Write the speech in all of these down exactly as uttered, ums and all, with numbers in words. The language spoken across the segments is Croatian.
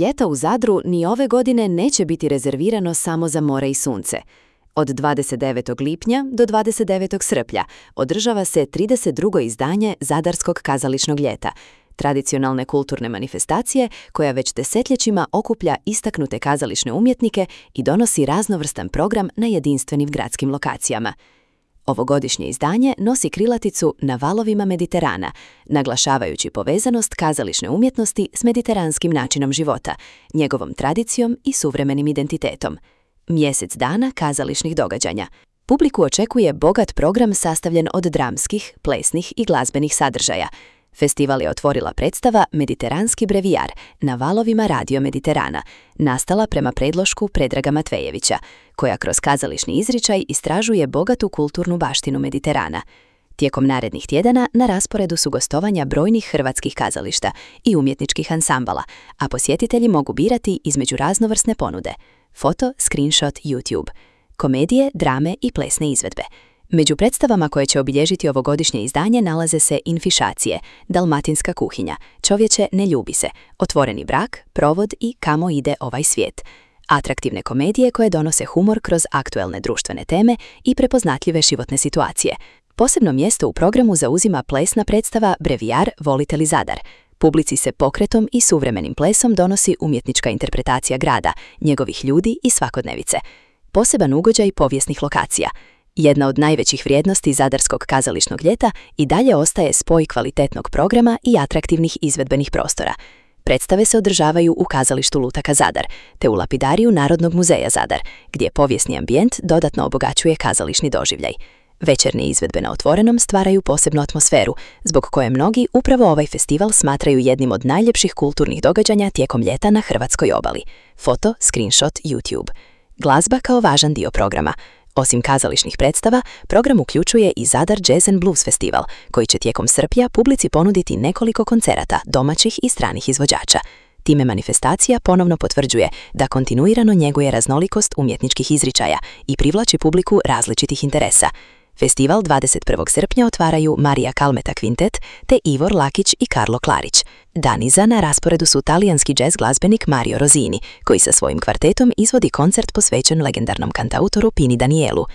Ljeto u Zadru ni ove godine neće biti rezervirano samo za more i sunce. Od dvadeset devetog lipnja do dvadeset devetog srpnja održava se trideset drugo izdanje Zadarskog kazališnog ljeta, tradicionalne kulturne manifestacije koja već desetljećima okuplja istaknute kazališne umjetnike i donosi raznovrstan program na jedinstvenim gradskim lokacijama. Ovogodišnje izdanje nosi krilaticu Na valovima Mediterana, naglašavajući povezanost kazališne umjetnosti s mediteranskim načinom života, njegovom tradicijom i suvremenim identitetom. Mjesec dana kazališnih događanja. Publiku očekuje bogat program sastavljen od dramskih, plesnih i glazbenih sadržaja. Festival je otvorila predstava Mediteranski brevijar na valovima Radio Mediterana, nastala prema predlošku Predraga Matvejevića, koja kroz kazališni izričaj istražuje bogatu kulturnu baštinu Mediterana. Tijekom narednih tjedana na rasporedu su gostovanja brojnih hrvatskih kazališta i umjetničkih ansambala, a posjetitelji mogu birati između raznovrsne ponude – foto, screenshot, YouTube, komedije, drame i plesne izvedbe. Među predstavama koje će obilježiti ovogodišnje izdanje nalaze se Infišacije, Dalmatinska kuhinja, Čovječe ne ljubi se, Otvoreni brak, Provod i Kamo ide ovaj svijet. Atraktivne komedije koje donose humor kroz aktuelne društvene teme i prepoznatljive životne situacije. Posebno mjesto u programu zauzima plesna predstava Brevijar Volite li Zadar. Publici se pokretom i suvremenim plesom donosi umjetnička interpretacija grada, njegovih ljudi i svakodnevice. Poseban ugođaj povijesnih lokacija. Jedna od najvećih vrijednosti Zadarskog kazališnog ljeta i dalje ostaje spoj kvalitetnog programa i atraktivnih izvedbenih prostora. Predstave se održavaju u kazalištu Lutaka Zadar, te u lapidariju Narodnog muzeja Zadar, gdje povijesni ambijent dodatno obogaćuje kazališni doživljaj. Večernje izvedbe na otvorenom stvaraju posebnu atmosferu, zbog koje mnogi upravo ovaj festival smatraju jednim od najljepših kulturnih događanja tijekom ljeta na hrvatskoj obali. Foto, screenshot, YouTube. Glazba kao važan dio programa. Osim kazališnih predstava, program uključuje i Zadar Jazz and Blues Festival, koji će tijekom srpnja publici ponuditi nekoliko koncerata domaćih i stranih izvođača. Time manifestacija ponovno potvrđuje da kontinuirano njeguje raznolikost umjetničkih izričaja i privlači publiku različitih interesa. Festival dvadeset prvog srpnja otvaraju Marija Kalmeta Kvintet te Ivor Lakić i Karlo Klarić. Dan iza na rasporedu su talijanski džez glazbenik Mario Rosini, koji sa svojim kvartetom izvodi koncert posvećen legendarnom kantautoru Pini Danielu.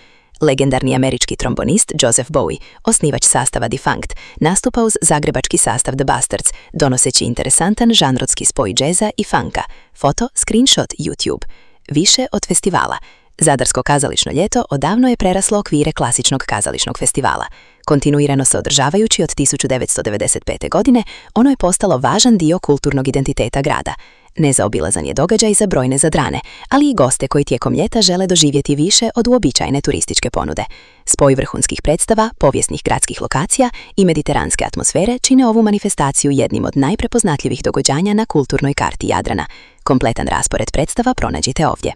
Legendarni američki trombonist Joseph Bowie, osnivač sastava Defunct, nastupa uz zagrebački sastav The Bastards, donoseći interesantan žanrotski spoj džeza i funka. Foto, screenshot, YouTube. Više od festivala. Zadarsko kazališno ljeto odavno je preraslo okvire klasičnog kazališnog festivala. Kontinuirano se održavajući od tisuću devetsto devedeset pete. godine, ono je postalo važan dio kulturnog identiteta grada. Nezaobilazan je događaj za brojne Zadrane, ali i goste koji tijekom ljeta žele doživjeti više od uobičajene turističke ponude. Spoj vrhunskih predstava, povijesnih gradskih lokacija i mediteranske atmosfere čine ovu manifestaciju jednim od najprepoznatljivih događanja na kulturnoj karti Jadrana. Kompletan raspored predstava pronađite ovdje.